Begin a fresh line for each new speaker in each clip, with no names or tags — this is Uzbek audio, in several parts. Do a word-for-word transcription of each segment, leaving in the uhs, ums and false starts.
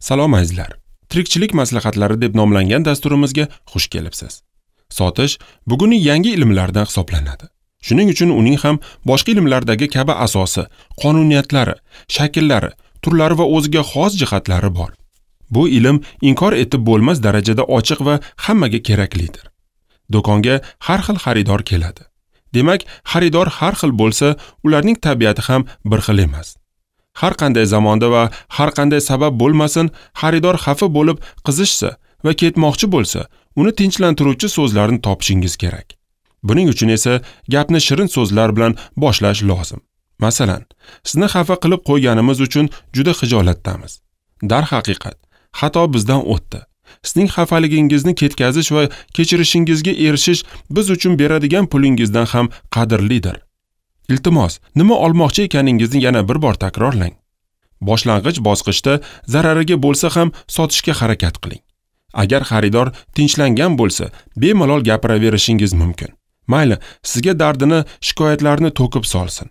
Salom azizlar. Tirikchilik maslahatlari deb nomlangan dasturimizga xush kelibsiz. Sotish bugungi yangi ilmlardan hisoblanadi. Shuning uchun uning ham boshqa ilmlardagi kabi asosi, qonuniyatlari, shakllari, turlari va o'ziga xos jihatlari bor. Bu ilm inkor etib bo'lmas darajada ochiq va hammaga keraklidir. Do'konga har xil xaridor keladi. Demak, xaridor har xil bo'lsa, ularning tabiati ham bir xil emas. Har qanday zamonda va har qanday sabab bo'lmasin, xaridor xafa bo'lib qizishsa va ketmoqchi bo'lsa, uni tinchlantiruvchi so'zlarni topishingiz kerak. Buning uchun esa gapni shirin so'zlar bilan boshlash lozim. Masalan, sizni xafa qilib qo'yganimiz uchun juda xijolatdamiz. Darhaqiqat, xato bizdan o'tdi. Sizning xafaligingizni ketkazish va kechirishingizga erishish biz uchun beradigan pulingizdan ham qadrlidir. Iltimos, nima olmoqchi ekaningizni yana bir bor takrorlang. Boshlang'ich bosqichda zarariga bo'lsa ham sotishga harakat qiling. Agar xaridor tinchlangan bo'lsa, bemalol gapiraverishingiz mumkin. Mayli, sizga dardini, shikoyatlarini to'kib solsin.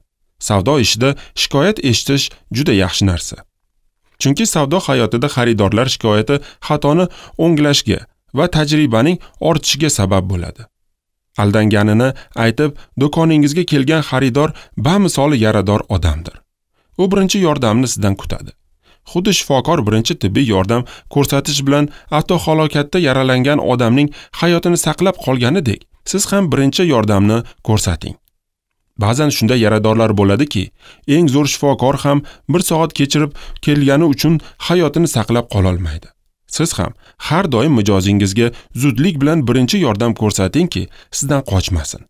Savdo ishida shikoyat eshitish juda yaxshi narsa. Chunki savdo hayotida xaridorlar shikoyati xatoni o'nglashga va tajribaning ortishiga sabab bo'ladi. Aldanganini aytib, do'koningizga kelgan xaridor bamisoli yarador odamdir. U birinchi yordamni sizdan kutadi. Xuddi shifokor birinchi tibbiy yordam ko'rsatish bilan avtohalokatda yaralangan odamning hayotini saqlab qolganidek, siz ham birinchi yordamni ko'rsating. Ba'zan shunday yaradorlar bo'ladiki, eng zo'r shifokor ham bir soat kechirib kelgani uchun hayotini saqlab qola olmaydi. Siz ham har doim mijozingizga zudlik bilan birinchi yordam ko'rsatingki, sizdan qochmasin.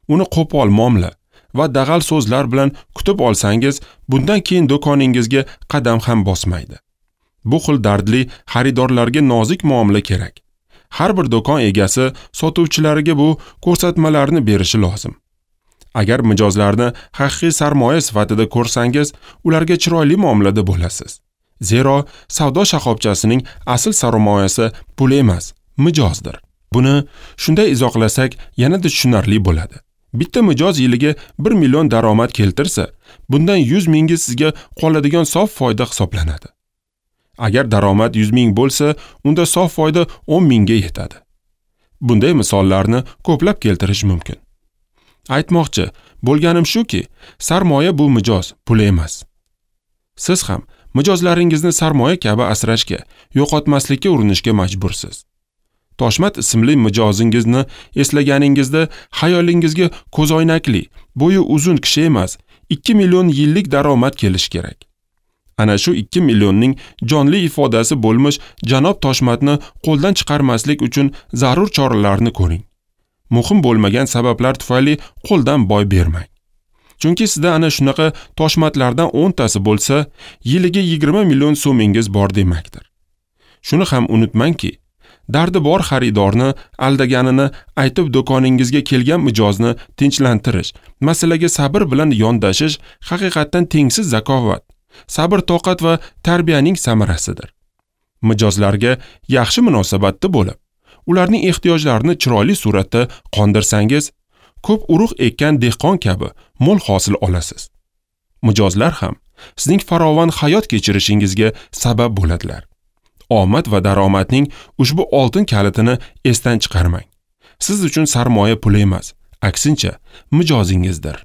Uni qo'pol muomala va dag'al so'zlar bilan kutib olsangiz, bundan keyin do'koningizga qadam ham bosmaydi. Bu xil dardli xaridorlarga nozik muomala kerak. Har bir do'kon egasi sotuvchilariga bu ko'rsatmalarni berishi lozim. Agar mijozlarni haqiqiy sarmoya sifatida ko'rsangiz, ularga chiroyli muomalada bo'lasiz. Zero savdo shoxobchasining asl sarmoyasi pul emas, mijozdir. Buni shunday izohlasak yanada tushunarli bo'ladi. Bitta mijoz yiliga bir million daromad keltirsa, bundan yuz mingi sizga qoladigan sof foyda hisoblanadi. Agar daromad yuz ming bo'lsa, unda sof foyda o'n mingga yetadi. Bunday misollarni ko'plab keltirish mumkin. Aytmoqchi bo'lganim shuki, sarmoya bu mijoz, pul emas. Siz ham mijozlaringizni sarmoya kabi asrashga, yo'qotmaslikka urinishga majbursiz. Toshmat ismli mijozingizni eslaganingizda xayolingizga ko'zoynakli, bo'yi uzun kishi emas, ikki million yillik daromad kelishi kerak. Ana shu ikki millionning jonli ifodasi bo'lmish janob Toshmatni qo'ldan chiqarmaslik uchun zarur choralarni ko'ring. Muhim bo'lmagan sabablar tufayli qo'ldan boy bermang. Chunki sizda ana shunaqa toshmatlardan o'ntasi bo'lsa, yiliga yigirma million so'mingiz bor demakdir. Shuni ham unutmangki, dardi bor xaridorni aldaganini aytib do'koningizga kelgan mijozni tinchlantirish, masalaga sabr bilan yondashish haqiqatdan tengsiz zakovat, sabr toqat va tarbiyaning samarasidir. Mijozlarga yaxshi munosabatda bo'lib, ularning ehtiyojlarini chiroyli suratda qondirsangiz, ko'p urug' ekkan dehqon kabi mo'l hosil olasiz. Mijozlar ham sizning farovon hayot kechirishingizga sabab bo'ladilar. Omad va daromadning ushbu oltin kalitini esdan chiqarmang. Siz uchun sarmoya pul emas, aksincha mijozingizdir.